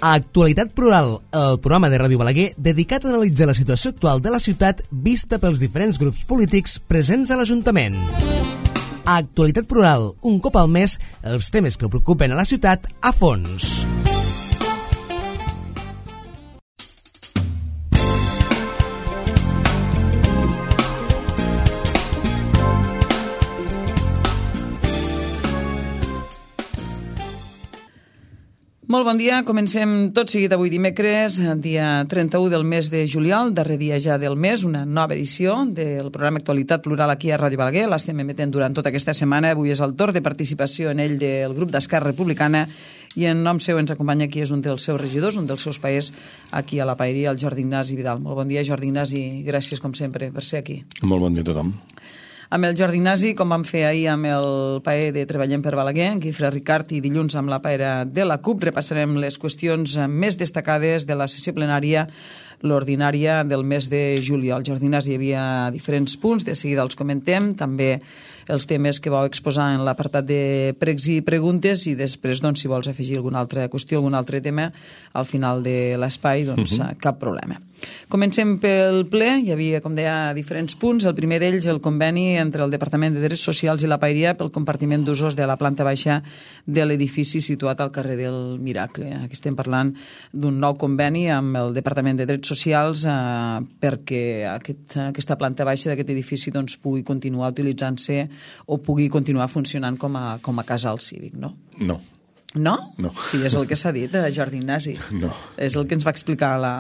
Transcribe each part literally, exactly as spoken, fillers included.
Actualitat Plural, el programa de Ràdio Balaguer dedicat a analitzar la situació actual de la ciutat vista pels diferents grups polítics presents a l'Ajuntament. Actualitat Plural, un cop al mes, els temes que preocupen a la ciutat a fons. Molt bon dia, comencem tot seguit avui dimecres, dia trenta-u del mes de juliol, darrer dia ja del mes, una nova edició del programa Actualitat Plural aquí a Ràdio Balaguer. L'estem emetent durant tota aquesta setmana. Avui és el torn de participació en ell del grup d'Esquerra Republicana i en nom seu ens acompanya aquí és un dels seus regidors, un dels seus paers aquí a la paeria, el Jordi Ignasi Vidal. Molt bon dia, Jordi Ignasi, i gràcies com sempre per ser aquí. Molt bon dia a tothom. Amb el Jordi Ignasi, com vam fer ahir amb el paer de Treballem per Balaguer, en Guifré Ricart, i dilluns amb la paera de la CUP, repassarem les qüestions més destacades de la sessió plenària, l'ordinària del mes de juliol. Jordi Ignasi, hi havia diferents punts, de seguida els comentem, també els temes que vau exposar en l'apartat de pregs i preguntes, i després, doncs, si vols afegir alguna altra qüestió, algun altre tema, al final de l'espai, doncs, uh-huh. cap problema. Comencem pel ple. Hi havia, com deia, diferents punts. El primer d'ells, el conveni entre el Departament de Drets Socials i la paeria pel compartiment d'usos de la planta baixa de l'edifici situat al carrer del Miracle. Aquí estem parlant d'un nou conveni amb el Departament de Drets Socials eh, perquè aquest, aquesta planta baixa d'aquest edifici doncs, pugui continuar utilitzant-se o pugui continuar funcionant com a, com a casal cívic, no? No. No? No. Sí, és el que s'ha dit, eh, Jordi Ignasi. No. És el que ens va explicar la,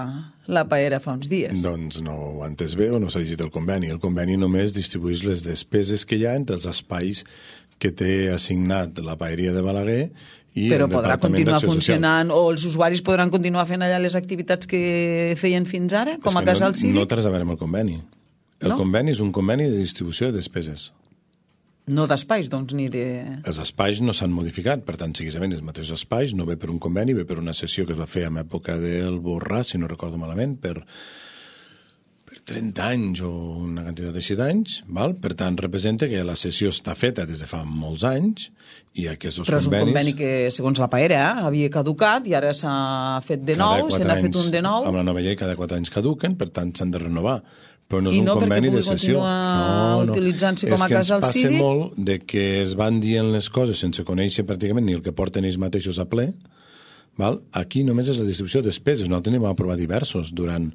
la paera fa uns dies. Doncs no ho ha entès bé o no s'ha llegit el conveni. El conveni només distribueix les despeses que hi ha entre els espais que té assignat la paeria de Balaguer i però el podrà Departament continuar d'Acció funcionant Social. o els usuaris podran continuar fent allà les activitats que feien fins ara, com a casal no, cívic? No té res a veure amb el conveni. El no? conveni és un conveni de distribució de despeses. No d'espais, doncs, ni de... Els espais no s'han modificat, per tant, seguidament els mateixos espais, no ve per un conveni, ve per una sessió que es va fer en època del Borràs, si no recordo malament, per, per trenta anys o una quantitat així d'anys, val? Per tant, representa que la sessió està feta des de fa molts anys i aquests convenis... Però és un conveni que, segons la paera, havia caducat i ara s'ha fet de nou, se n'ha fet un de nou... Amb la nova llei cada quatre anys caduquen, per tant, s'han de renovar. Però no és I un no conveni de perquè pugui sessió. continuar no, no. utilitzant-se com a casal cívic? És que ens passa molt de que es van dient les coses sense conèixer pràcticament ni el que porten ells mateixos a ple. Val? Aquí només és la distribució de despeses. Nosaltres n'hem aprovar diversos durant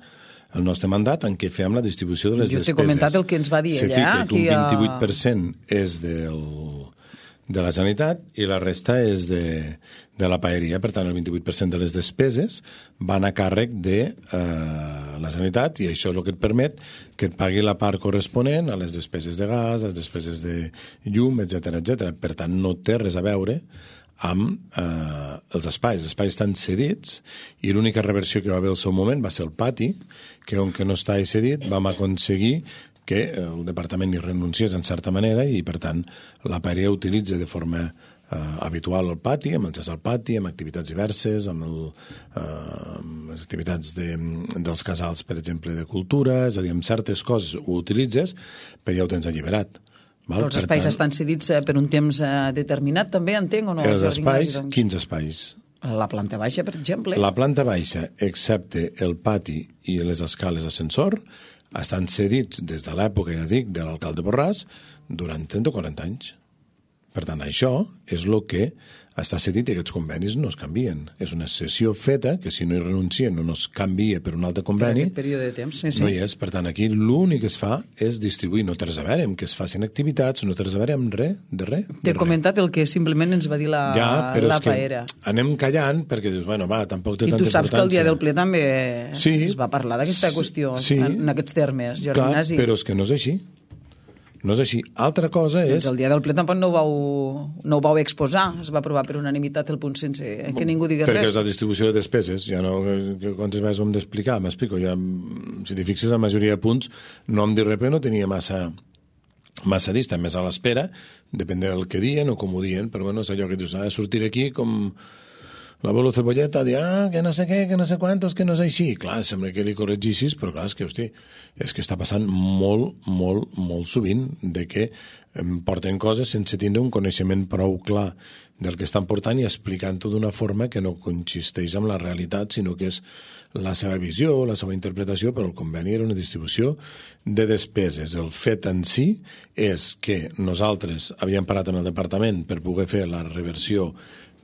el nostre mandat en què fem la distribució de les jo despeses. Jo t'he comentat el que ens va dir Se ella. fica que un vint-i-vuit per cent a... és del... de la Generalitat i la resta és de, de la paeria. Per tant, el vint-i-vuit per cent de les despeses van a càrrec de eh, la Generalitat i això és el que et permet que et pagui la part corresponent a les despeses de gas, a les despeses de llum, etcètera, etcètera. Per tant, no té res a veure amb eh, els espais. Els espais estan cedits i l'única reversió que va haver al seu moment va ser el pati, que on que no està cedit vam aconseguir que el departament hi renunciés en certa manera i, per tant, la paeria utilitza de forma eh, habitual el pati, amb menjars al pati, amb activitats diverses, amb, el, eh, amb les activitats de, dels casals, per exemple, de cultura, és a dir, amb certes coses ho utilitzes, però ja ho tens alliberat. Val? Els espais tant, estan cedits per un temps determinat, també, entenc, o no? Els espais, doncs... quins espais? La planta baixa, per exemple. La planta baixa, excepte el pati i les escales ascensor, estan cedits des de l'època, ja dic, de l'alcalde Borràs durant trenta o quaranta anys. Per tant, això és el que està cedit i aquests convenis no es canvien. És una cessió feta que si no hi renuncien o no es canvia per un altre conveni, per període de temps, sí, sí. no hi és. Per tant, aquí l'únic que es fa és distribuir. No té res a veure amb que es facin activitats, no té res a veure amb res, de res. T'he comentat el que simplement ens va dir la, ja, però la és que paera. Anem callant perquè dius, bueno, va, tampoc té I tanta importància. I tu saps que el dia del ple també sí, es va parlar d'aquesta qüestió, sí, en, en aquests termes, Jordi clar, Ignasi. Però és que no és així. No és així. Altra cosa és... Doncs el dia del ple tampoc no ho vau, no ho vau exposar. Es va aprovar per unanimitat el punt sense que ningú digués perquè res. Perquè és la distribució de despeses. Ja no, quantes vegades ho hem d'explicar? M'explico. Ja, si t'hi fixes, la majoria de punts no em dir res, no tenia massa, massa dista, més a l'espera, depèn del que dien o com ho dien, però bueno, és allò que dius, ha de sortir aquí com... l'abuelo Cebolleta diu, ah, que no sé què, que no sé quantos, que no és així. Clar, sembla que li corregissis, però clar, és que, hosti, és que està passant molt, molt, molt sovint de que em porten coses sense tindre un coneixement prou clar del que estan portant i explicant-ho d'una forma que no consisteix en la realitat, sinó que és la seva visió, la seva interpretació, però el conveni era una distribució de despeses. El fet en si és que nosaltres havíem parat amb el departament per poder fer la reversió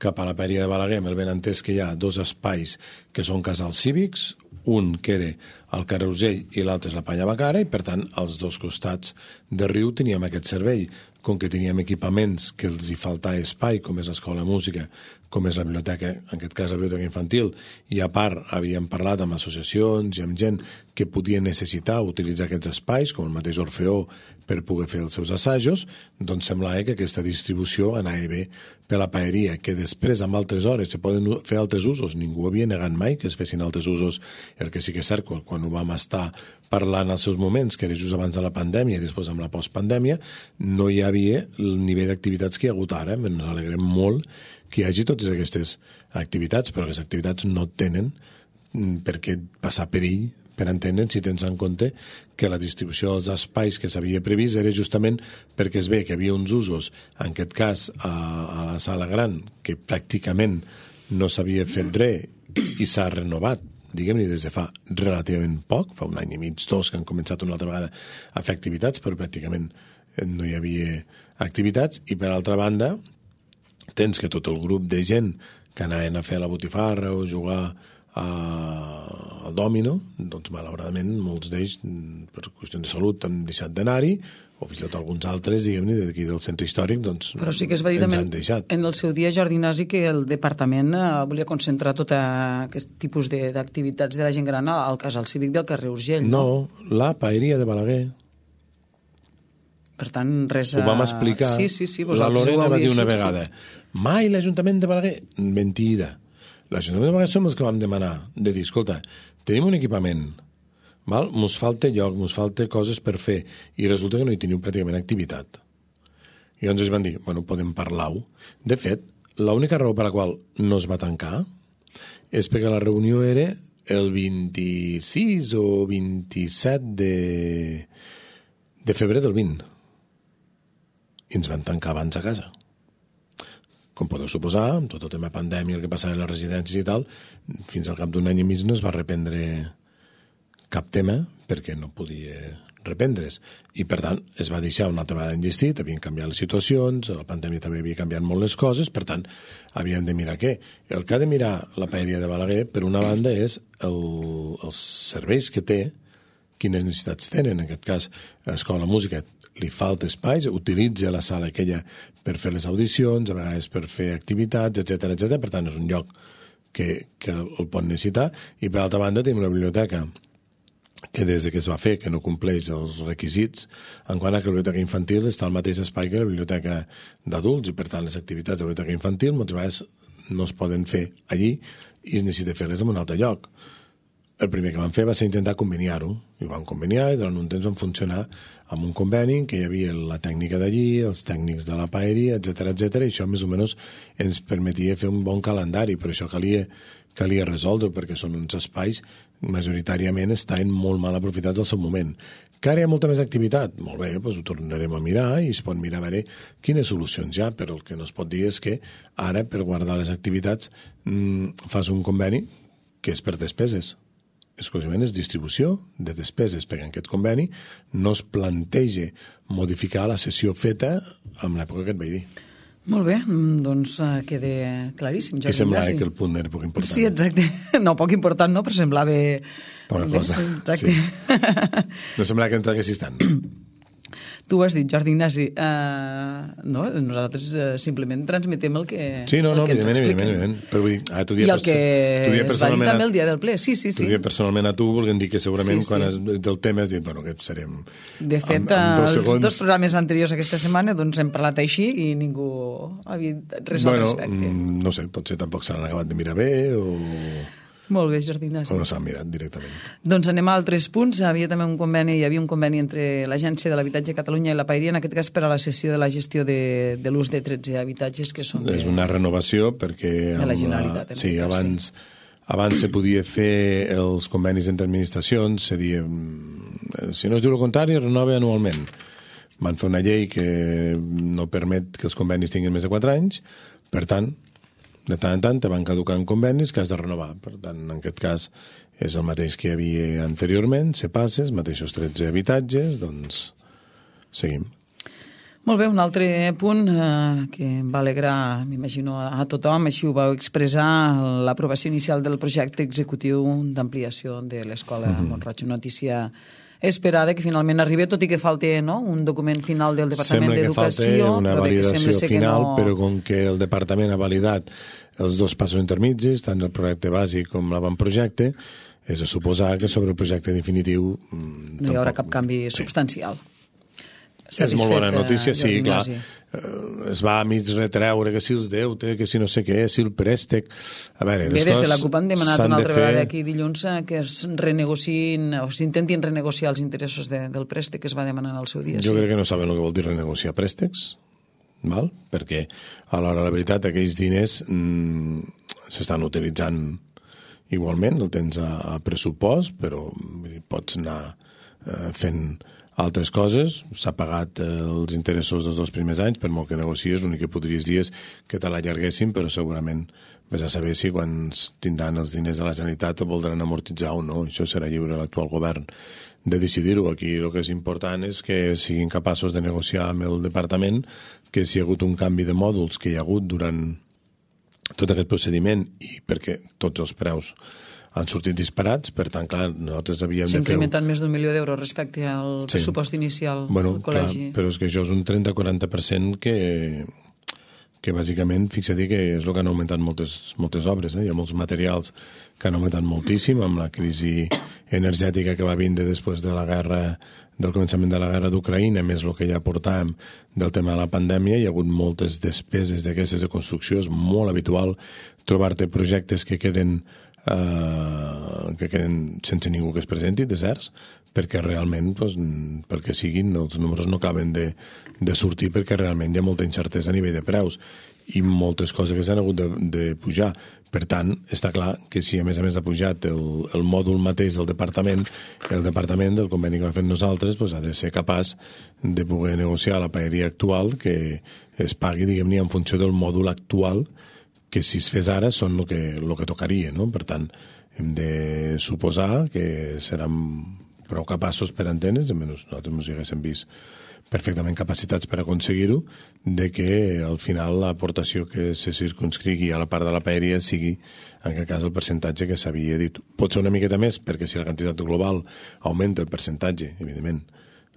cap a la Paeria de Balaguer, amb el benentès que hi ha dos espais que són casals cívics, un que era al carrer Urgell i l'altre és la Panya Bacara, i per tant als dos costats de riu teníem aquest servei. Com que teníem equipaments que els hi faltava espai, com és l'escola de música, com és la biblioteca, en aquest cas la biblioteca infantil, i a part havíem parlat amb associacions i amb gent que podia necessitar utilitzar aquests espais, com el mateix Orfeó, per poder fer els seus assajos, doncs semblava que aquesta distribució anava bé per la paeria, que després, amb altres hores, se poden fer altres usos. Ningú havia negat mai que es fessin altres usos. El que sí que és cert, quan ho vam estar parlant als seus moments, que era just abans de la pandèmia i després amb la postpandèmia, no hi havia el nivell d'activitats que hi ha hagut ara. Ens alegrem molt que hi hagi totes aquestes activitats, però les activitats no tenen per què passar perill, per entendre si tens en compte que la distribució dels espais que s'havia previst era justament perquè es ve que hi havia uns usos, en aquest cas a, a la sala gran, que pràcticament no s'havia fet res i s'ha renovat, diguem-ne, des de fa relativament poc, fa un any i mig, dos, que han començat una altra vegada a fer activitats, però pràcticament no hi havia activitats, i per altra banda tens que tot el grup de gent que anaven a fer la botifarra o jugar al dòmino, doncs malauradament molts d'ells per qüestions de salut han deixat d'anar-hi, o fins i tot alguns altres, diguem-ne, d'aquí del centre històric, doncs però sí que es va dir ens també han deixat. En el seu dia, Jordi Nasi, que el departament eh, volia concentrar tot aquest tipus de- d'activitats de la gent gran al casal cívic del carrer Urgell. No, la Paeria de Balaguer. Per tant, res... Ho vam a- explicar. Sí, sí, sí. La vosaltres Lorena ho va dir havíeu- una sí, sí. vegada, mai l'Ajuntament de Balaguer... Mentida. L'Ajuntament de Balaguer som els que vam demanar, de dir, escolta, tenim un equipament, val? Mos falta lloc, mos falta coses per fer, i resulta que no hi teniu pràcticament activitat. I llavors ens van dir, bueno, podem parlar-ho. De fet, l'única raó per la qual no es va tancar és perquè la reunió era el vint-i-sis o vint-i-set de, de febrer del vint. I ens van tancar abans a casa. Com podeu suposar, amb tot el tema pandèmia, el que passava a les residències i tal, fins al cap d'un any i mig no es va reprendre cap tema perquè no podia reprendre's. I, per tant, es va deixar una altra vegada enllestit, havien canviat les situacions, la pandèmia també havia canviat molt les coses, per tant, havíem de mirar què? El que ha de mirar la Paeria de Balaguer, per una banda, és el, els serveis que té, quines necessitats tenen. En aquest cas, l'escola de música li falta espais, utilitza la sala aquella per fer les audicions, a vegades per fer activitats, etcètera, etcètera. Per tant, és un lloc que, que el pot necessitar. I, per altra banda, tenim una biblioteca que des de que es va fer, que no compleix els requisits, en quant a que la biblioteca infantil està al mateix espai que la biblioteca d'adults, i per tant les activitats de la biblioteca infantil moltes vegades no es poden fer allí i es necessita fer-les en un altre lloc. El primer que vam fer va ser intentar conveniar-ho, i ho vam conveniar, i durant un temps vam funcionar amb un conveni que hi havia la tècnica d'allí, els tècnics de la paeria, etcètera, etcètera, i això més o menys ens permetia fer un bon calendari, però això calia, calia resoldre, perquè són uns espais majoritàriament estaven molt mal aprofitats al seu moment. Que ara hi ha molta més activitat? Molt bé, doncs ho tornarem a mirar i es pot mirar a veure quines solucions hi ha, però el que no es pot dir és que ara, per guardar les activitats, mmm, fas un conveni que és per despeses. Exclusivament és distribució de despeses, perquè en aquest conveni no es planteja modificar la sessió feta en l'època que et vaig dir. Molt bé, doncs uh, queda claríssim. I semblava que el punt era poc important. Sí, exacte. No, poc important no, però semblava... Poca bé, cosa. exacte. Sí. No semblava que entraguessis tant. Tu ho has dit, Jordi Ignasi. Uh, no, nosaltres uh, simplement transmetem el que Sí, no, no, el que ens evidentment, expliquen. evidentment. Però vull dir, ah, tu I dia el que tu dia es va dir personalment també a- el dia del ple. Sí, sí, sí. Tu dia personalment a tu, volguem dir que segurament Sí, sí. quan es, del tema has dit, bueno, que serem... De fet, en, en dos els segons... dos programes anteriors aquesta setmana doncs hem parlat així i ningú havia dit res Bueno, al respecte. mm, no sé, potser tampoc se l'han acabat de mirar bé o... Molt bé, Jordi Ignasi. O no s'han mirat directament. Doncs anem a altres punts. Havia també un conveni, hi havia un conveni entre l'Agència de l'Habitatge de Catalunya i la Paeria, en aquest cas per a la cessió de la gestió de, de l'ús de tretze habitatges que són de, és una renovació perquè... de la Generalitat. La, sí, abans, abans se podia fer els convenis entre administracions, se dia, si no es diu el contrari, es renova anualment. Van fer una llei que no permet que els convenis tinguin més de quatre anys, per tant, de tant en tant te van caducant convenis que has de renovar. Per tant, en aquest cas és el mateix que hi havia anteriorment, se passa, els mateixos tretze habitatges, doncs seguim. Molt bé, un altre punt eh, que va alegrar, m'imagino, a tothom, així ho vau expressar, l'aprovació inicial del projecte executiu d'ampliació de l'Escola mm-hmm. Mont-roig. Notícia esperada que finalment arribi, tot i que falta no, un document final del Departament d'Educació. Sembla que falta una validació final, no... però com que el Departament ha validat els dos passos intermitjis, tant el projecte bàsic com l'avantprojecte, és a suposar que sobre el projecte definitiu... No tampoc... hi haurà cap canvi sí. substancial. És molt bona notícia, sí, clar. Es va a mig retreure que si els deute, que si no sé què, si el préstec... A veure, Bé, des de la CUP han demanat una altra fer... vegada aquí dilluns que es renegociïn o s'intentin renegociar els interessos de, del préstec que es va demanar al seu dia. Jo sí. crec que no saben el que vol dir renegociar préstecs, val? Perquè a l'hora de la veritat aquells diners mmm, s'estan utilitzant igualment, el tens a, a pressupost, però vull dir, pots anar eh, fent... altres coses, s'ha pagat eh, els interessos dels dos primers anys, per molt que negocies, l'únic que podries dir és que te l'allarguessin, però segurament vés a saber si quan tindran els diners de la Generalitat el voldran amortitzar o no. Això serà lliure a l'actual govern de decidir-ho. Aquí el que és important és que siguin capaços de negociar amb el departament que si hi ha hagut un canvi de mòduls que hi ha hagut durant tot aquest procediment i perquè tots els preus han sortit disparats, per tant, clar, nosaltres havíem de fer... S'ha incrementat més d'un milió d'euros respecte al sí. pressupost inicial bueno, del col·legi. Clar, però és que això és un trenta a quaranta per cent que, que bàsicament, fixa-t'hi que és el que han augmentat moltes, moltes obres. Eh? Hi ha molts materials que han augmentat moltíssim amb la crisi energètica que va vindre després de la guerra, del començament de la guerra d'Ucraïna, més el que ja portàvem del tema de la pandèmia. Hi ha hagut moltes despeses d'aquestes de construcció. És molt habitual trobar-te projectes que queden Uh, que queden sense ningú que es presenti, deserts, perquè realment, doncs, pel que siguin, els números no acaben de, de sortir perquè realment hi ha molta incertesa a nivell de preus i moltes coses que s'han hagut de, de pujar. Per tant, està clar que si a més a més ha pujat el, el mòdul mateix del departament, el departament del conveni que ha fet nosaltres doncs, ha de ser capaç de poder negociar la paeria actual que es pagui, diguem-ne, en funció del mòdul actual que si es fes ara són el que, el que tocaria, no? Per tant, hem de suposar que seran prou capaços per antenes, almenys nosaltres ens hi haguéssim vist perfectament capacitats per aconseguir-ho, de que al final l'aportació que se circunscrigui a la part de la paeria sigui, en aquest cas, el percentatge que s'havia dit. Pot ser una miqueta més, perquè si la quantitat global augmenta el percentatge, evidentment,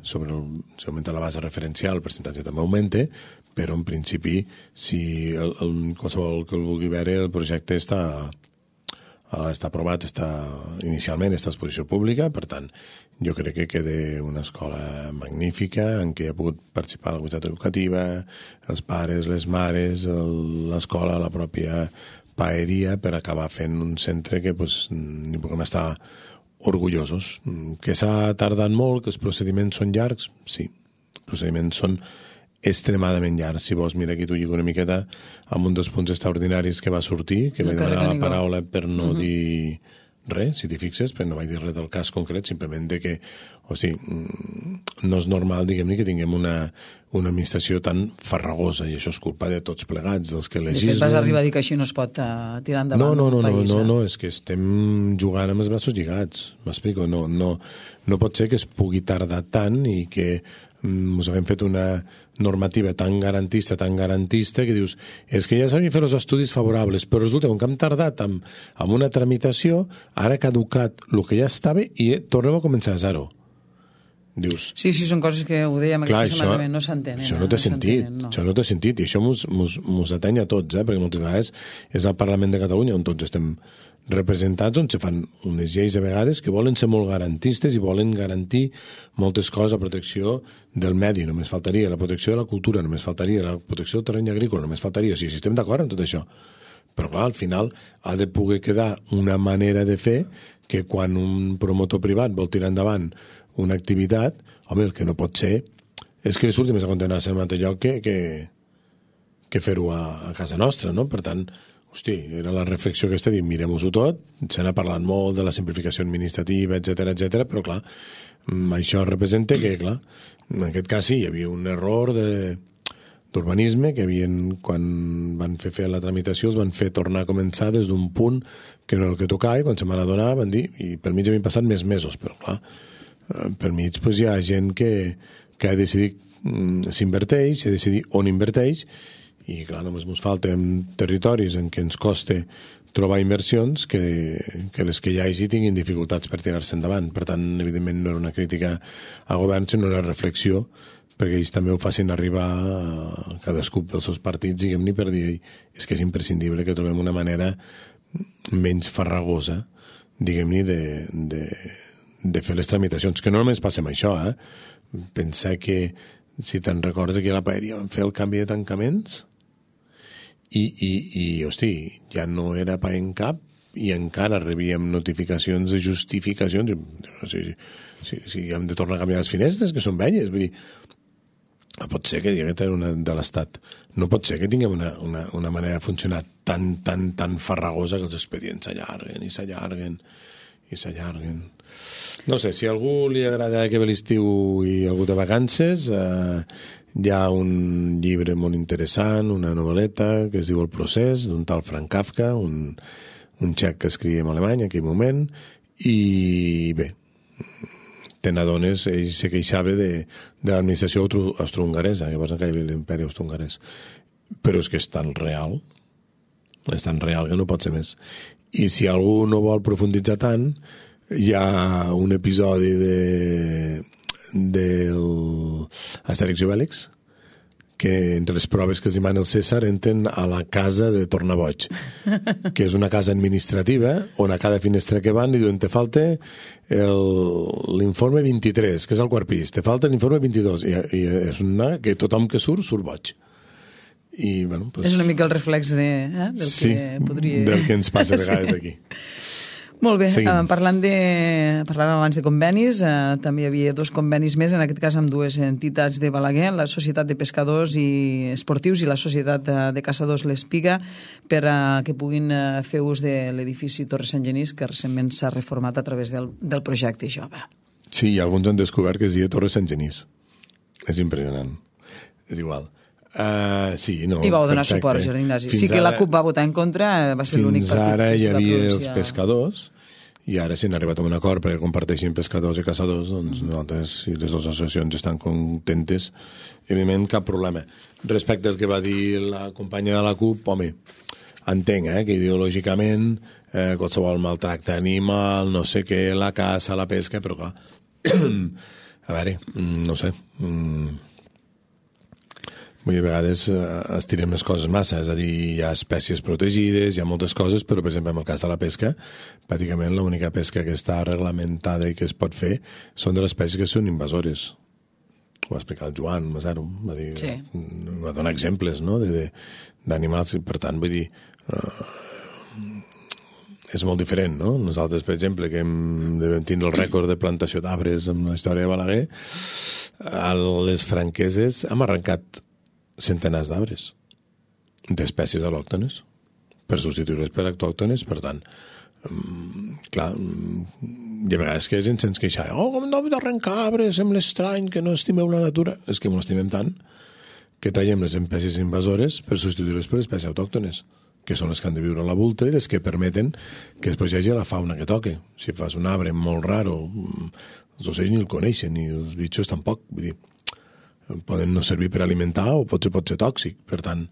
sobre el, si augmenta la base referencial, el percentatge també augmenta, però en principi, si el, el, qualsevol que el vulgui veure, el projecte està, està aprovat, està inicialment està a exposició pública, per tant, jo crec que queda una escola magnífica en què ha pogut participar la comunitat educativa, els pares, les mares, l'escola, la pròpia paeria, per acabar fent un centre que pues, n'hi puguem estar orgullosos. Que s'ha tardat molt, que els procediments són llargs, sí, els procediments són extremadament llarg. Si vols, mira, aquí t'ho lligo una miqueta amb un dels punts extraordinaris que va sortir, que vaig demanar la paraula per no uh-huh. dir res, si t'hi fixes, però no vaig dir res del cas concret, simplement de que, o sigui, no és normal, diguem-ne, que tinguem una, una administració tan farragosa, i això és culpa de tots plegats, dels que legislen... De fet, vas arribar a dir que així no es pot uh, tirar endavant no, no, no, un país. No, no, no, és que estem jugant amb els braços lligats, m'explico, no, no, no pot ser que es pugui tardar tant i que ens haguem fet una normativa tan garantista, tan garantista, que dius, és que ja s'havien fet els estudis favorables, però resulta que hem tardat amb, amb una tramitació, ara ha caducat el que ja estava i tornem a començar a zero. Dius... Sí, sí, són coses que ho dèiem clar, aquesta setmana, no s'entenen. Això no té no sentit, no. Això no té sentit, i això mos, mos, mos ateny a tots, eh? Perquè moltes vegades és al Parlament de Catalunya on tots estem representats, on se fan unes lleis a vegades que volen ser molt garantistes i volen garantir moltes coses, la protecció del medi, només faltaria, la protecció de la cultura, només faltaria, la protecció del terreny agrícola, només faltaria, o sigui, si estem d'acord amb tot això. Però, clar, al final ha de poder quedar una manera de fer que quan un promotor privat vol tirar endavant una activitat, home, el que no pot ser és que li surti més a contenir-se en un altre lloc que, que, que fer-ho a, a casa nostra, no? Per tant, hosti, era la reflexió aquesta, dir, mirem-ho-ho tot, se n'ha parlat molt de la simplificació administrativa, etcètera, etcètera, però, clar, això representa que, clar, en aquest cas sí, hi havia un error de d'urbanisme, que havien, quan van fer fer la tramitació, els van fer tornar a començar des d'un punt que no era el que tocava, i quan se m'han adonat van dir, i per mig havien passat més mesos, però clar, per mig pues, hi ha gent que, que ha decidit s'inverteix, ha decidit on inverteix, i clar, només ens falten territoris en què ens costa trobar inversions que, que les que hi hagi tinguin dificultats per tirar-se endavant. Per tant, evidentment, no era una crítica al govern, sinó una reflexió perquè ells també ho facin arribar a cadascú dels seus partits, diguem-ne, per dir és que és imprescindible que trobem una manera menys farragosa, diguem-ne, de, de, de fer les tramitacions, que no només passa amb això, eh? Pensar que, si te'n recordes, aquí a la Paeria van fer el canvi de tancaments i, i, i hosti, ja no era pa en cap i encara rebíem notificacions de justificacions, si, si, si hem de tornar a canviar les finestres, que són velles, vull dir, no pot ser que diguem una de l'Estat. No pot ser que tinguem una, una, una manera de funcionar tan, tan, tan farragosa que els expedients s'allarguen i s'allarguen i s'allarguen. No sé, si a algú li agrada que ve l'estiu i algú té vacances, eh, hi ha un llibre molt interessant, una novel·leta que es diu El procés, d'un tal Frank Kafka, un, un txec que escrivia en alemany en aquell moment, i bé, te n'adones, ell se queixava de, de l'administració austro-hongaresa, que va caure l'imperi austro-hongarès. Però és que és tan real, és tan real que no pot ser més. I si algú no vol profunditzar tant, hi ha un episodi de del Astèrix i Obèlix, que entre les proves que es demana el César entren a la casa de Tornaboig, que és una casa administrativa on a cada finestra que van li diuen te falta l'informe vint-i-tres, que és el quart pis, te falta l'informe vint-i-dos, i, i és una que tothom que surt, surt boig. I, bueno, pues, és una mica el reflex de, eh, del sí, que podria... del que ens passa a vegades sí. aquí. Molt bé, eh, parlant de, parlàvem abans de convenis, eh, també hi havia dos convenis més, en aquest cas amb dues entitats de Balaguer, la Societat de Pescadors i Esportius i la Societat de Caçadors l'Espiga, per a que puguin eh, fer ús de l'edifici Torre Sant Genís, que recentment s'ha reformat a través del, del projecte Jove. Sí, alguns han descobert que es deia Torre Sant Genís. És impressionant. És igual. Uh, sí, no, I vau donar perfecte. suport, Jordi Ignasi. Fins sí que ara, la CUP va votar en contra, va ser l'únic partit que fins ara hi havia pronunciar... els pescadors, i ara si han arribat a un acord perquè comparteixin pescadors i caçadors, doncs nosaltres, si les dues associacions estan contentes, evidentment cap problema. Respecte al que va dir la companya de la CUP, home, entenc eh, que ideològicament eh, qualsevol maltracte animal, no sé què, la caça, la pesca, però clar, a veure, no sé... Mm, Vull dir, a vegades eh, estirem les coses massa, és a dir, hi ha espècies protegides, hi ha moltes coses, però, per exemple, en el cas de la pesca, pràcticament l'única pesca que està reglamentada i que es pot fer són de les espècies que són invasores. Ho va explicar el Joan Masaro, va dir, sí. Va donar exemples, no?, d'animals, per tant, vull dir, eh, és molt diferent, no? Nosaltres, per exemple, que hem de tenir el rècord de plantació d'arbres en la història de Balaguer, a les Franqueses hem arrencat centenars d'arbres d'espècies al·lòctones per substituir-les per autòctones. Per tant, clar, hi ha vegades que gent se'ns queixa, oh, com no hem d'arrencar arbres, sembla estrany que no estimeu la natura. És que no l'estimem tant que traiem les espècies invasores per substituir-les per espècies autòctones, que són les que han de viure a la vulta i les que permeten que després hi hagi la fauna que toque. Si fas un arbre molt raro, els ocells ni el coneixen, ni els bitxos tampoc, vull dir, poden no servir per alimentar o potser pot ser tòxic. Per tant,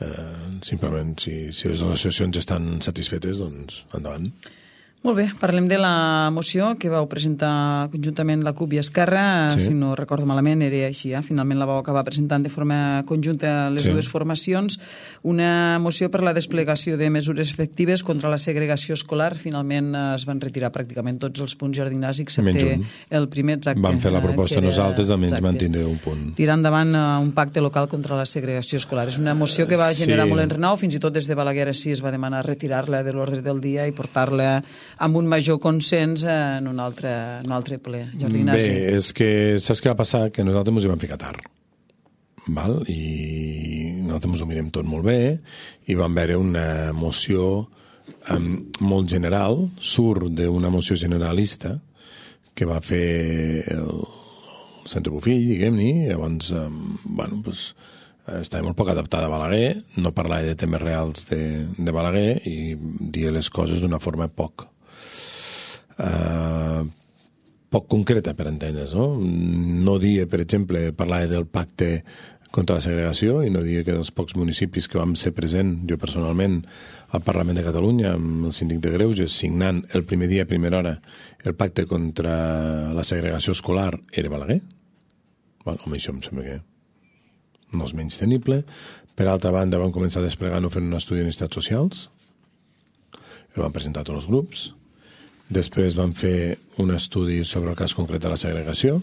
eh, simplement, si, si les associacions estan satisfetes, doncs endavant. Molt bé, parlem de la moció que vau presentar conjuntament la CUP i Esquerra, sí. Si no recordo malament era així, eh? Finalment la vau acabar presentant de forma conjunta les sí. dues formacions, una moció per la desplegació de mesures efectives contra la segregació escolar. Finalment es van retirar pràcticament tots els punts jardinars excepte el primer, exacte. Vam fer la proposta era, nosaltres, almenys exacte, mantindre un punt. Tirar endavant un pacte local contra la segregació escolar. És una moció que va generar sí. molt enrenou, fins i tot des de Balaguer sí es va demanar retirar-la de l'ordre del dia i portar-la amb un major consens en un altre, en un altre ple. Jordi Ignasi. Bé, és que saps què va passar? Que nosaltres ens hi vam ficar tard. Val? I nosaltres ens ho mirem tot molt bé i vam veure una moció um, molt general, surt d'una moció generalista que va fer el Centre Bofill, diguem-ne, llavors, um, bueno, doncs, estava molt poc adaptada a Balaguer, no parlava de temes reals de, de Balaguer i dir les coses d'una forma poc Uh, poc concreta per entendre's, no? No dia, per exemple, parlar del pacte contra la segregació i no dir que dels pocs municipis que vam ser present, jo personalment, al Parlament de Catalunya, amb el síndic de Greuges, signant el primer dia, a primera hora, el pacte contra la segregació escolar, era Balaguer. Bueno, home, això em sembla que no és menys tenible. Per altra banda, vam començar desplegant-ho fent un estudi de necessitats socials. El vam presentar a tots els grups. Després vam fer un estudi sobre el cas concret de la segregació.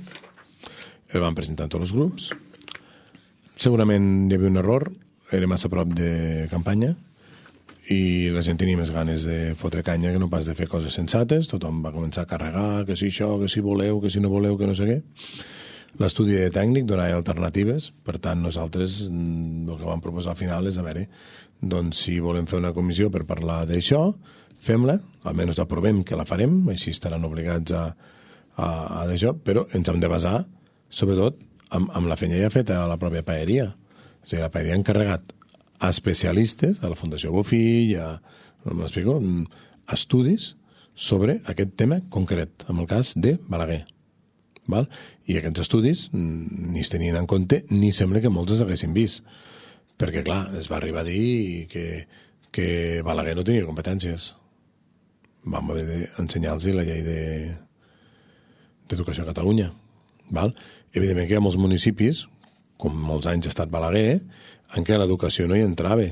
El vam presentar a tots els grups. Segurament hi havia un error, era massa a prop de campanya i la gent tenia més ganes de fotre canya que no pas de fer coses sensates. Tothom va començar a carregar, que si això, que si voleu, que si no voleu, que no sé què. L'estudi tècnic donava alternatives, per tant nosaltres el que vam proposar al final és a veure, doncs si volem fer una comissió per parlar d'això, fem-la, almenys aprovem que la farem, així estaran obligats a, a, a d'això, però ens hem de basar, sobretot, amb, amb la feina ja feta a la pròpia paeria. O sigui, la paeria ha encarregat a especialistes, a la Fundació Bofill, a, m'explico, estudis sobre aquest tema concret, en el cas de Balaguer. Val? I aquests estudis ni es tenien en compte, ni sembla que molts els haguessin vist. Perquè, clar, es va arribar a dir que, que Balaguer no tenia competències. Vam haver d'ensenyar-los la llei d'Educació de, a Catalunya. Val? Evidentment que hi ha molts municipis, com molts anys ha estat Balaguer, en què l'educació no hi entrava.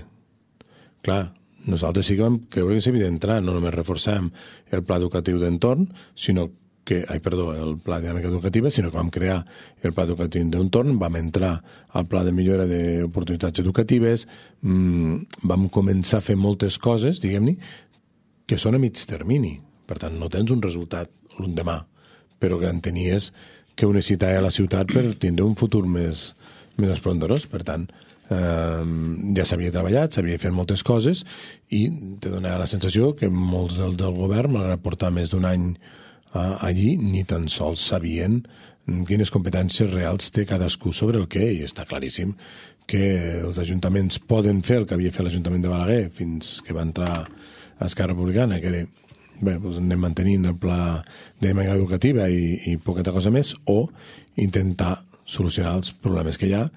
Clar, nosaltres sí que vam creure que s'havia d'entrar, no només reforçem el pla educatiu d'entorn, sinó que, ai, perdó, el pla de dinàmica educativa, sinó que vam crear el pla educatiu d'entorn, vam entrar al pla de millora d'oportunitats educatives, mmm, vam començar a fer moltes coses, diguem-ne, que són a mig termini. Per tant, no tens un resultat l'endemà, però que entenies que ho necessitava la ciutat per tindre un futur més, més esplendorós. Per tant, eh, ja s'havia treballat, s'havia fet moltes coses i te donava la sensació que molts del, del govern, malgrat portar més d'un any eh, allí, ni tan sols sabien quines competències reals té cadascú sobre el què, i està claríssim que els ajuntaments poden fer el que havia fet l'Ajuntament de Balaguer fins que va entrar a Esquerra Republicana, que era, bé, doncs anem mantenint el pla de dinàmica educativa i, i poqueta cosa més, o intentar solucionar els problemes que hi ha,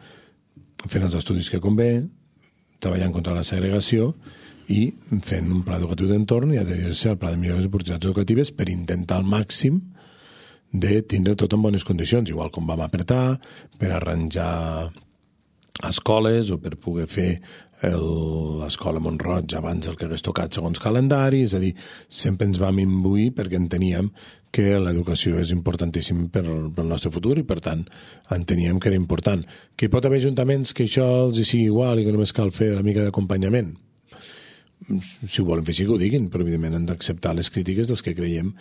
fent els estudis que convé, treballant contra la segregació i fent un pla educatiu d'entorn i adherir-se al pla de millores d'oportunitats educatives per intentar al màxim de tindre tot en bones condicions, igual com vam apretar, per arranjar escoles o per poder fer l'escola Montroig abans del que hagués tocat segons calendari, és a dir, sempre ens vam imbuir perquè enteníem que l'educació és importantíssim per, pel nostre futur i, per tant, enteníem que era important. Que hi pot haver ajuntaments que això els hi sigui igual i que només cal fer una mica d'acompanyament. Si ho volen fer, sí que ho diguin, però evidentment han d'acceptar les crítiques dels que creiem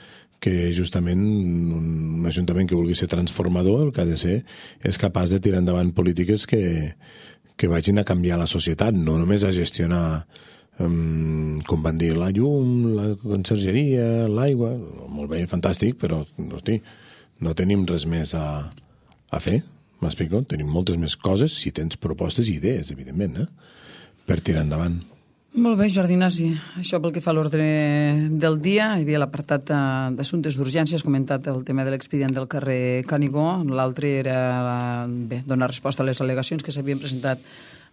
que justament un ajuntament que vulgui ser transformador el que ha de ser és capaç de tirar endavant polítiques que, que vagin a canviar la societat, no només a gestionar, um, com van dir, la llum, la consergeria, l'aigua, molt bé, fantàstic, però hosti, no tenim res més a, a fer, m'explico? Tenim moltes més coses si tens propostes i idees, evidentment, eh? Per tirar endavant. Molt bé, Jordi Ignasi. Això pel que fa a l'ordre del dia. Hi havia l'apartat d'assumptes d'urgència, has comentat el tema de l'expedient del carrer Canigó. L'altre era, bé, donar resposta a les al·legacions que s'havien presentat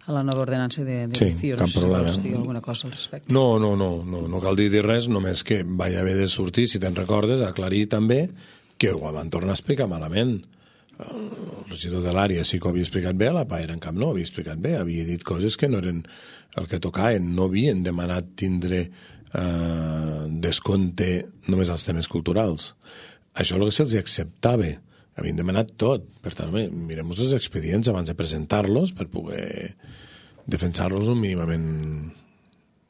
a la nova ordenança de, de sí, Cio. cap problema. Si vols dir alguna cosa al respecte. No, no, no, no, no cal dir res, només que vaig haver de sortir, si te'n recordes, aclarir també que ho van tornar a explicar malament. El regidor de l'àrea sí que ho havia explicat bé, la Paera en cap no ho havia explicat bé, havia dit coses que no eren el que tocaven, no havien demanat tindre eh, descompte només als temes culturals. Això és el que se'ls acceptava, havien demanat tot. Per tant, home, mirem-nos els expedients abans de presentar-los per poder defensar-los un mínimament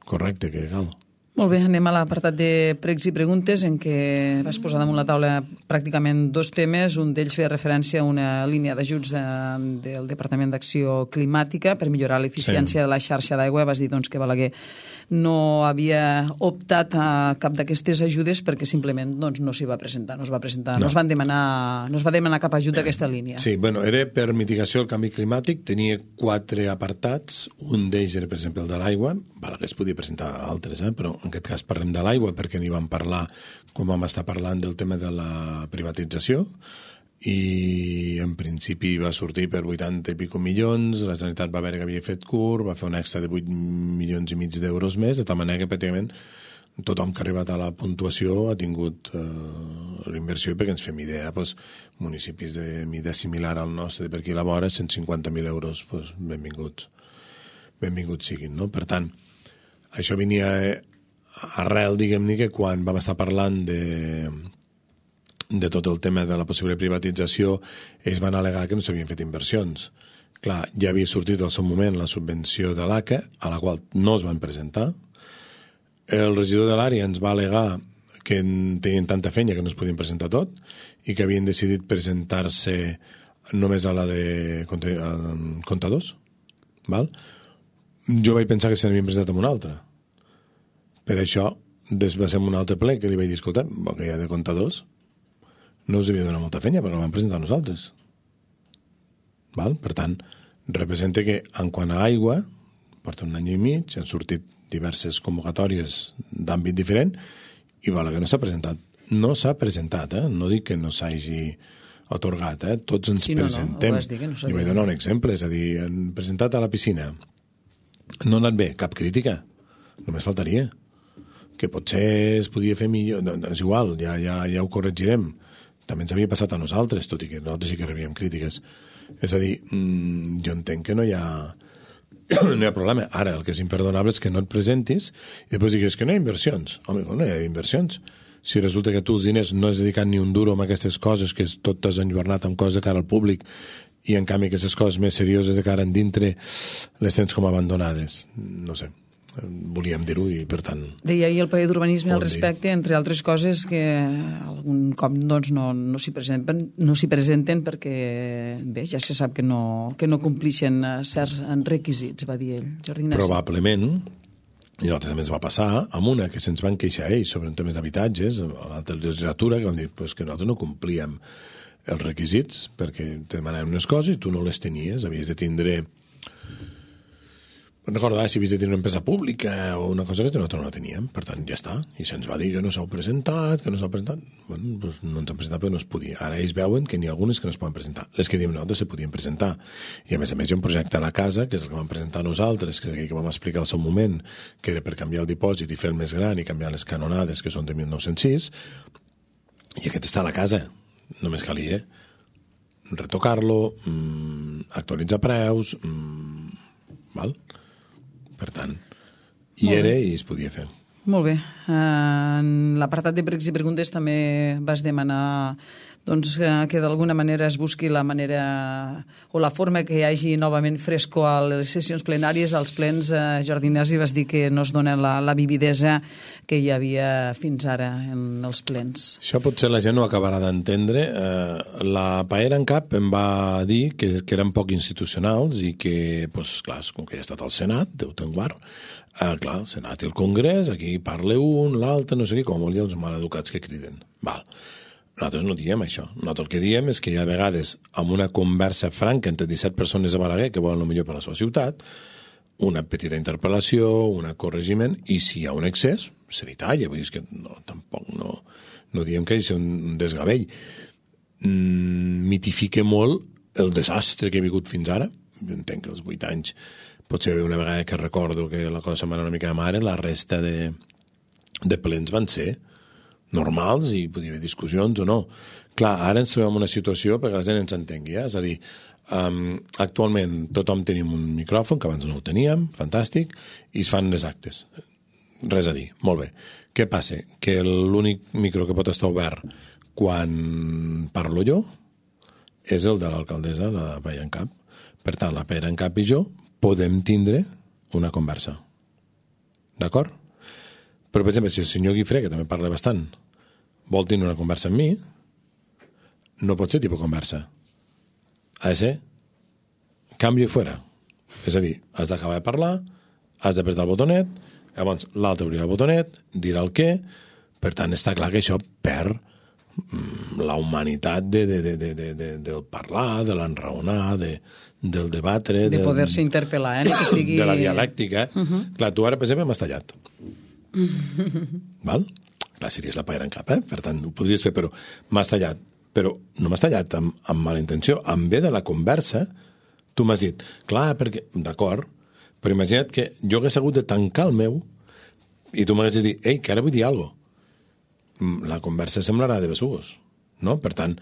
correcte que cal. Molt bé, anem a l'apartat de pregs i preguntes en què vas posar damunt la taula pràcticament dos temes. Un d'ells feia referència a una línia d'ajuts de, del Departament d'Acció Climàtica per millorar l'eficiència sí. de la xarxa d'aigua. Vas dir doncs, que Balaguer no havia optat a cap d'aquestes ajudes perquè simplement doncs, no s'hi va presentar. No es va presentar, no. No es van demanar, no es va demanar cap ajut d'aquesta línia. Sí, bueno, era per mitigació del canvi climàtic, tenia quatre apartats. Un d'ells era, per exemple, el de l'aigua. Balaguer es podia presentar altres, eh? Però en aquest cas parlem de l'aigua perquè n'hi vam parlar quan vam estar parlant del tema de la privatització i en principi va sortir per vuitanta i pico milions, la Generalitat va veure que havia fet curt, va fer un extra de vuit milions i mig d'euros més, de tal manera que pràcticament tothom que ha arribat a la puntuació ha tingut eh, l'inversió i perquè ens fem idea, doncs, municipis de mida similar al nostre, per aquí a la vora, cent cinquanta mil euros, doncs, benvinguts. Benvinguts siguin, no? Per tant, això venia arrel, diguem-ne, que quan vam estar parlant de, de tot el tema de la possible privatització, ells van al·legar que no s'havien fet inversions. Clar, ja havia sortit al seu moment la subvenció de l'A C A, a la qual no es van presentar. El regidor de l'àrea ens va al·legar que tenien tanta feina que no es podien presentar tot i que havien decidit presentar-se només a la de comptadors. Val? Jo vaig pensar que se n'havien presentat amb una altra. Per això, desbasem un altre ple que li vaig dir, escolta, que hi ha de comptadors, no us havia donat molta feina, però la vam presentar nosaltres. Val? Per tant, representa que, en quant a aigua, porta un any i mig, han sortit diverses convocatòries d'àmbit diferent, i val, que no s'ha presentat. No s'ha presentat, eh? No dic que no s'hagi atorgat, eh? Tots ens sí, no, presentem. No, no, no jo vaig donar un exemple, és a dir, han presentat a la piscina. No ha anat bé, cap crítica. Només faltaria. Que potser es podia fer millor, no, és igual, ja, ja, ja ho corregirem. També ens havia passat a nosaltres, tot i que nosaltres sí que rebíem crítiques. És a dir, mmm, jo entenc que no hi ha no hi ha problema. Ara, el que és imperdonable és que no et presentis i després digues que no hi ha inversions. Home, no hi ha inversions. Si resulta que tu els diners no has dedicat ni un duro amb aquestes coses, que tot t'has enlluernat amb coses de cara al públic i en canvi aquestes coses més serioses de cara en dintre les tens com abandonades. No sé. Volíem dir-ho i, per tant... Deia ahir el paper d'urbanisme al respecte, entre altres coses, que algun cop doncs, no, no s'hi presenten, no s'hi presenten perquè, bé, ja se sap que no, que no complixen certs requisits, va dir ell. Jordi Ignasi. Probablement, i nosaltres també ens va passar, amb una que se'ns van queixar ells sobre temes d'habitatges, a l'altra legislatura, que van dir pues, que nosaltres no complíem els requisits perquè te demanaven unes coses i tu no les tenies, havies de tindre... Recordar si havies de tenir una empresa pública o una cosa que nosaltres no la teníem, per tant ja està, i se'ns va dir que no s'heu presentat, que no s'heu presentat, bueno, doncs no ens han presentat però no es podia. Ara ells veuen que n'hi ha algunes que no es poden presentar, les que diem nosaltres se podien presentar, i a més a més hi ha un projecte a la casa, que és el que vam presentar nosaltres, que és aquell que vam explicar al seu moment, que era per canviar el dipòsit i fer el més gran i canviar les canonades, que són de mil nou-cents sis, i aquest està a la casa, només calia retocar-lo, mmm, actualitzar preus, mmm, val? Per tant, hi era i es podia fer. Molt bé. En l'apartat de pregs i preguntes també vas demanar doncs, que d'alguna manera es busqui la manera o la forma que hi hagi novament fresco a les sessions plenàries, als plens. Jordi Ignasi, vas dir que no es dona la, la vividesa que hi havia fins ara en els plens. Això potser la gent no acabarà d'entendre. Eh, la Paera en cap em va dir que, que eren poc institucionals i que, pues, clar, com que ja ha estat al Senat, Déu te'n guard, eh, clar, el Senat i el Congrés, aquí parla un, l'altre, no sé què, com vol dir els maleducats que criden. Val. Nosaltres no diem això. Nosaltres el que diem és que hi ha vegades, amb una conversa franca entre disset persones de Balaguer que volen el millor per a la seva ciutat, una petita interpel·lació, un corregiment, i si hi ha un excés, se li talla. Vull dir que no, tampoc no, no diem que hi sigui un desgavell. Mm, mitifica molt el desastre que he vingut fins ara. Jo entenc que els vuit anys potser una vegada que recordo que la cosa se'm va anar una mica de mare, la resta de, de plens van ser normals i podia haver discussions o no. Clar, ara ens trobem en una situació perquè la gent ens entengui, eh? És a dir, um, actualment tothom tenim un micròfon, que abans no el teníem, fantàstic, i es fan les actes. Res a dir, molt bé. Què passa? Que l'únic micro que pot estar obert quan parlo jo és el de l'alcaldessa, la Paella en Cap. Per tant, la Paella en Cap i jo podem tindre una conversa. D'acord? Però, per exemple, si el senyor Guifré, que també parla bastant, vol tenir una conversa amb mi, no pot ser tipus conversa. Ha de ser canvio i fora. És a dir, has d'acabar de parlar, has d'apretar el botonet, llavors l'altre obrirà el botonet, dirà el què, per tant està clar que això perd la humanitat de, de, de, de, de, de, del parlar, de l'enraonar, de, del debatre... De poder-se interpel·lar, eh? Que sigui... De la dialèctica. Uh -huh. Clar, tu ara, per exemple, m'has tallat. Val? Clar, series la Paella en Cap, eh? Per tant, ho podries fer, però m'has tallat. Però no m'has tallat amb, amb mala intenció. En ve de la conversa, tu m'has dit, clar, perquè... D'acord, però imagina't que jo hagués hagut de tancar el meu i tu m'hagués de dir, ei, que ara vull dir alguna cosa. La conversa semblarà de besugos, no? Per tant,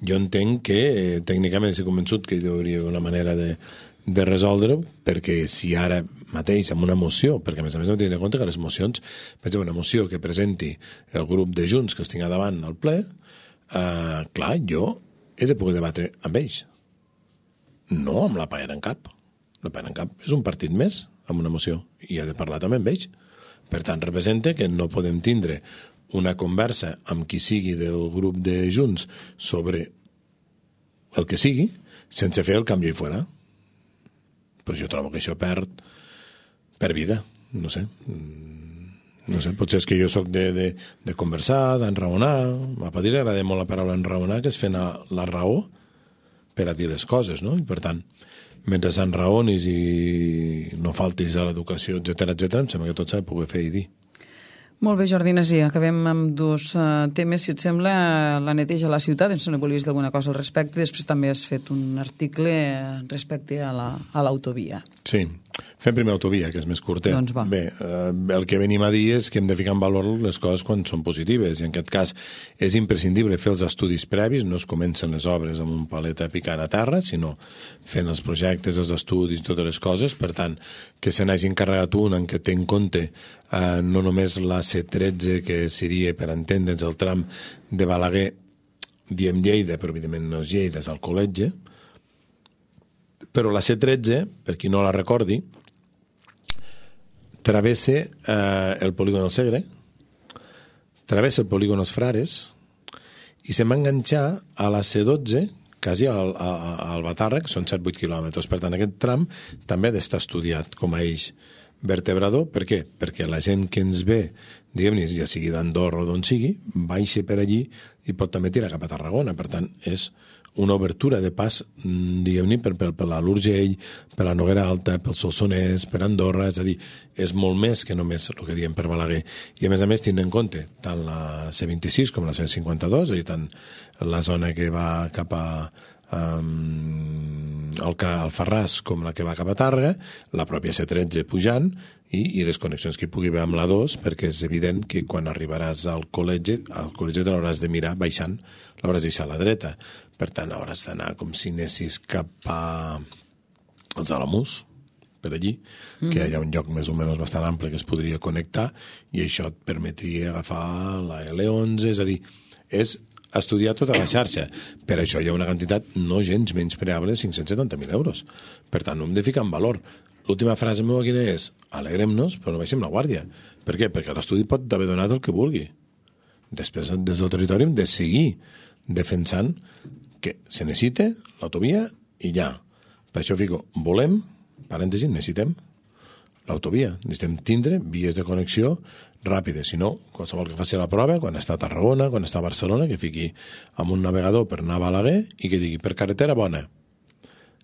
jo entenc que eh, tècnicament he convençut que hi hauria una manera de, de resoldre-ho, perquè si ara mateix amb una moció, perquè a més a més hem de tenir en compte que les mocions, per exemple, una moció que presenti el grup de Junts que els tinc davant al ple, eh, clar, jo he de poder debatre amb ells, no amb la Paella en Cap. La Paella en Cap és un partit més amb una moció i he de parlar també amb ells. Per tant, representa que no podem tindre una conversa amb qui sigui del grup de Junts sobre el que sigui sense fer el canvi i fora. Però jo trobo que això perd per vida, no sé. No sé, potser és que jo sóc de, de, de conversar, d'enraonar. A Padí li agrada molt la paraula enraonar, que és fer la, la raó per a dir les coses, no? I per tant, mentre enraonis i no faltis a l'educació, etcètera, etcètera, em sembla que tot s'ha de poder fer i dir. Molt bé, Jordi Nasí, acabem amb dos uh, temes, si et sembla, la neteja a la ciutat, em sembla que volies dir alguna cosa al respecte, després també has fet un article respecte a l'autovia. La, sí, fem primer autovia, que és més curtet. Doncs va. Bé, eh, el que venim a dir és que hem de ficar en valor les coses quan són positives, i en aquest cas és imprescindible fer els estudis previs, no es comencen les obres amb un palet picant a terra, sinó fent els projectes, els estudis i totes les coses, per tant, que se n'hagi encarregat un en què té en compte eh, no només la C tretze, que seria, per entendre'ns, el tram de Balaguer, diem Lleida, però evidentment no és Lleida, és el Col·letge, però la C tretze, per qui no la recordi, travessa eh, el polígon del Segre, travessa el polígon dels Frares i se'n va enganxar a la C dotze, quasi al, al Batarra, que són set vuit quilòmetres. Per tant, aquest tram també ha d'estar estudiat com a eix vertebrador. Per què? Perquè la gent que ens ve, diguem-ne, ja sigui d'Andorra o d'on sigui, baixa per allí i pot també tirar cap a Tarragona. Per tant, és una obertura de pas, diguem-ne, per, per, per l'Urgell, per la Noguera Alta, pel Solsonès, per Andorra, és a dir, és molt més que només el que diem per Balaguer. I a més a més tindre en compte tant la C vint-i-sis com la C cinquanta-dos, és a dir, tant la zona que va cap a um, el, el Farràs com la que va cap a Tàrrega, la pròpia C tretze pujant i, i les connexions que hi pugui haver amb la dos, perquè és evident que quan arribaràs al col·legi, al col·legi te l'hauràs de mirar baixant, l'hauràs de deixar a la dreta. Per tant, hauràs d'anar com si anessis cap a els Alamús, per allí, mm. que hi ha un lloc més o menys bastant ample que es podria connectar i això et permetria agafar la L onze, és a dir, és estudiar tota la xarxa. Per això hi ha una quantitat no gens menyspreable de cinc-cents setanta mil euros. Per tant, no hem de ficar en valor. L'última frase meva quina és? Alegrem-nos, però no baixem la guàrdia. Per què? Perquè l'estudi pot haver donat el que vulgui. Després, des del territori, hem de seguir defensant que se necessita l'autovia i ja. Per això fico, volem, parèntesi, necessitem l'autovia. Necessitem tindre vies de connexió ràpides. Si no, qualsevol que faci la prova, quan està a Tarragona, quan està a Barcelona, que fiqui amb un navegador per anar a Balaguer i que digui, per carretera bona,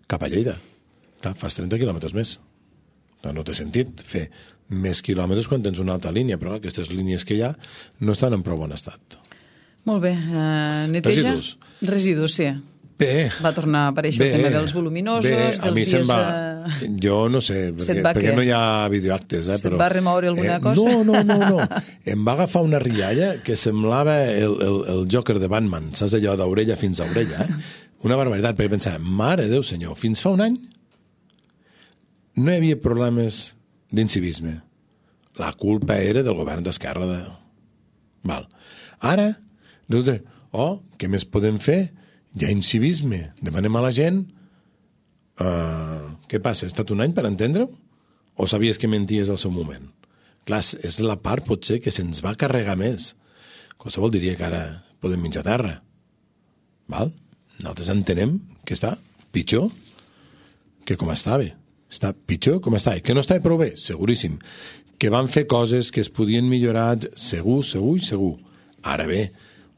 cap a Lleida. Clar, fas trenta quilòmetres més. No té sentit fer més quilòmetres quan tens una altra línia, però aquestes línies que hi ha no estan en prou bon estat. Molt bé. Uh, neteja? Residus. Residus, sí. Bé, va tornar a aparèixer bé, el tema dels voluminosos, bé, dels a mi dies... se'n va, eh, jo no sé, perquè, va perquè què? no hi ha videoactes. Eh, Se't però, va remoure alguna eh, cosa? No, no, no, no. Em va agafar una rialla que semblava el, el, el Joker de Batman, saps allò d'orella fins a orella? Eh? Una barbaritat, perquè pensava, mare Déu senyor, fins fa un any no hi havia problemes d'incivisme. La culpa era del govern d'esquerra. De... Val. Ara, oh, què més podem fer? Hi ha incivisme. Demanem a la gent... Uh, què passa? Ha estat un any per entendre-ho? O sabies que menties al seu moment? Clar, és la part, potser, que se'ns va carregar més. Qualsevol diria que ara podem menjar terra. Val? Nosaltres entenem que està pitjor que com estava. Està pitjor com estava. Que no estava prou bé? Seguríssim. Que van fer coses que es podien millorar segur, segur i segur. Ara bé,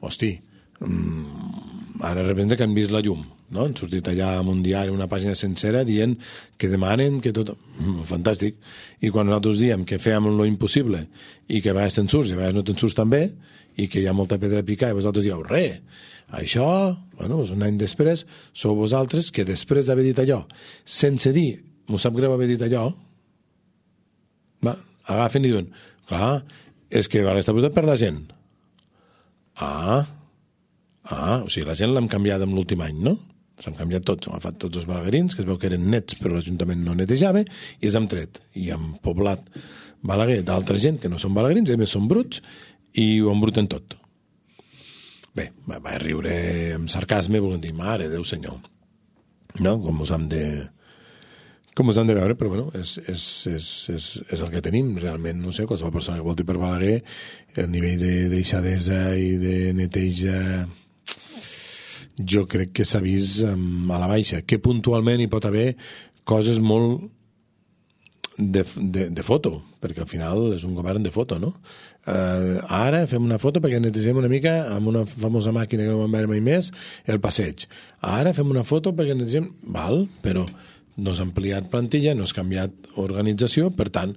hosti, mmm, ara representa que han vist la llum, no? Han sortit allà en un diari, una pàgina sencera, dient que demanen que tot... Mm, fantàstic. I quan nosaltres diem que fèiem lo impossible i que a vegades te'n surts i a vegades no te'n surts tan bé i que hi ha molta pedra a picar i vosaltres dieu, re, això, bueno, un any després, sou vosaltres que després d'haver dit allò, sense dir, m'ho sap greu haver dit allò, va, agafen i diuen, clar, és que va estar posat per la gent. Ah, ah, o sigui, la gent l'hem canviat en l'últim any, no? S'han canviat tots, hem agafat tots els balaguerins, que es veu que eren nets, però l'Ajuntament no netejava, i els hem tret. I hem poblat Balaguer d'altra gent que no són balaguerins, i a més són bruts, i ho embruten tot. Bé, va, va riure amb sarcasme, volent dir, mare Déu senyor. No? Com us hem de... Com us hem de veure, però bueno, és, és, és, és, és el que tenim. Realment, no sé, qualsevol persona que volti per Balaguer, el nivell de deixadesa i de neteja jo crec que s'ha vist um, a la baixa. Que puntualment hi pot haver coses molt de, de, de foto, perquè al final és un govern de foto, no? Uh, ara fem una foto perquè netegem una mica amb una famosa màquina que no vam veure mai més el passeig. Ara fem una foto perquè netegem... Val, però no s'ha ampliat plantilla, no s'ha canviat organització, per tant,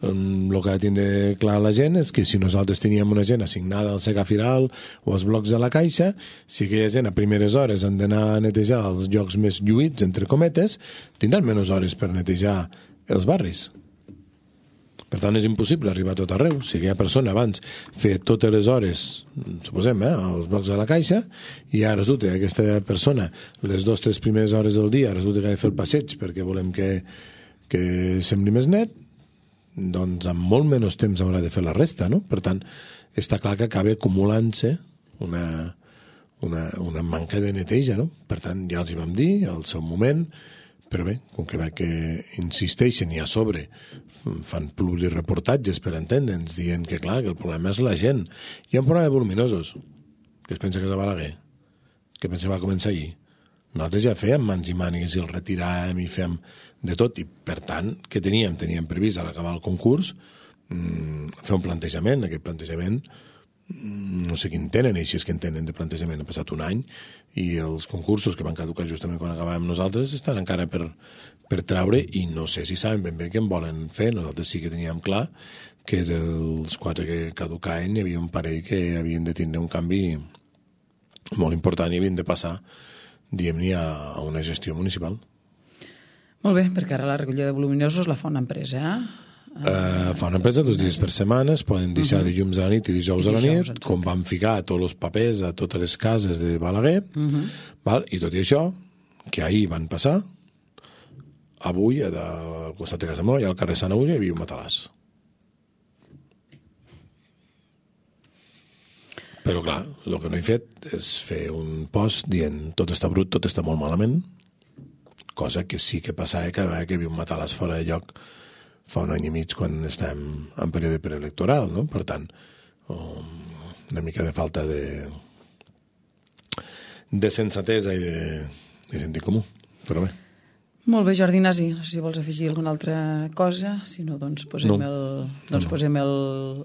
el que ha de tindre clar la gent és que si nosaltres teníem una gent assignada al Segafiral o als blocs de la Caixa, si aquella gent a primeres hores han d'anar a netejar els llocs més lluïts, entre cometes, tindran menys hores per netejar els barris. Per tant, és impossible arribar a tot arreu. Si aquella persona abans feia totes les hores, suposem, eh, als blocs de la Caixa, i ara resulta que aquesta persona, les dues o tres primeres hores del dia, resulta que ha de fer el passeig perquè volem que, que sembli més net, doncs amb molt menys temps haurà de fer la resta, no? Per tant, està clar que acaba acumulant-se una, una, una manca de neteja, no? Per tant, ja els hi vam dir al seu moment, però bé, com que veig que insisteixen i a sobre fan plurireportatges per entendre'ns, dient que clar, que el problema és la gent. Hi ha un problema de voluminosos, que es pensa que és a Balaguer, que pensa que va començar ahir. Nosaltres ja fèiem mans i mànigues i el retiràvem i fèiem de tot, i per tant, què teníem? Teníem previst a l'acabar el concurs mmm, fer un plantejament. Aquest plantejament mmm, no sé quin tenen, i si és que en tenen de plantejament, ha passat un any, i els concursos que van caducar justament quan acabàvem nosaltres estan encara per, per traure, i no sé si saben ben bé què en volen fer. Nosaltres sí que teníem clar que dels quatre que caducaven hi havia un parell que havien de tindre un canvi molt important i havien de passar, diguem-ne, a una gestió municipal. Molt bé, perquè ara la recollida de voluminosos la fa una empresa, eh? Uh, fa una empresa dos dies per setmana, es poden deixar uh -huh. dilluns a la nit i dijous, I dijous a la nit, exacte. Com van ficar tots els papers a totes les cases de Balaguer, uh -huh. val? I tot i això, que ahir van passar, avui, al costat de casa meva, al carrer Sanaúja, hi havia un matalàs. Però clar, el que no he fet és fer un post dient tot està brut, tot està molt malament, cosa que sí que passava cada vegada que hi havia un matalàs fora de lloc fa un any i mig quan estem en període preelectoral, no? Per tant, una mica de falta de de sensatesa i de, de sentit comú, però bé. Molt bé, Jordi Ignasi, no sé si vols afegir alguna altra cosa, si no, doncs posem, no. el, doncs no. posem el,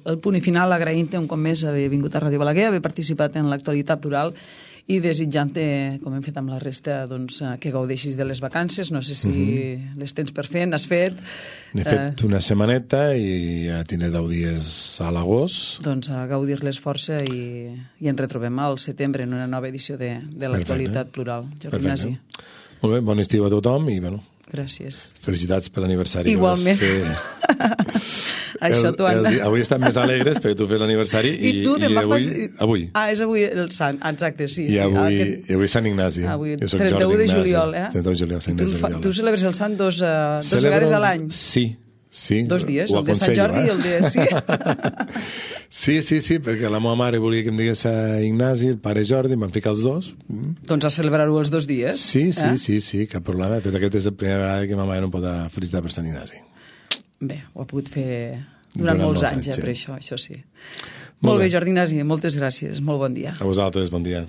el punt i final, agraint-te un cop més haver vingut a Ràdio Balaguer, haver participat en l'actualitat plural i desitjant-te, com hem fet amb la resta, doncs, que gaudeixis de les vacances. No sé si uh-huh. les tens per fer, n'has fet. N'he fet eh... una setmaneta i ja tindré deu dies a l'agost. Doncs a gaudir-les força i, i ens retrobem al setembre en una nova edició de, de l'actualitat plural. Jordi Ignasi. Molt bé, bon estiu a tothom i, bueno, gràcies. Felicitats per l'aniversari. Igualment. Això t'ho han... Avui estem més alegres perquè tu fes l'aniversari i, I tu i avui, fas... avui. Ah, és avui el Sant, exacte, sí. I sí. avui, Aquest... i avui Sant Ignasi. Avui, jo soc trenta-u Jordi de Ignasi. juliol, eh? trenta-u de juliol, Sant Ignasi. Tu, tu celebres el Sant dos, uh, dos Celebro vegades a els... l'any? Sí, sí. Dos dies, ho el de Sant Jordi eh? i el de... Sí. Sí, sí, sí, perquè la meva mare volia que em digués a Ignasi, el pare Jordi, em van ficar els dos. Mm. Doncs a celebrar-ho els dos dies. Sí, sí, eh? sí, sí, cap problema. De fet, aquest és la primera vegada que ma mare no em pot felicitar per Sant Ignasi. Bé, ho ha pogut fer durant, durant molts, molts anys, anys, eh, sí. per això, això sí. Molt Molt bé, bé, Jordi Ignasi, moltes gràcies, molt bon dia. A vosaltres, bon dia.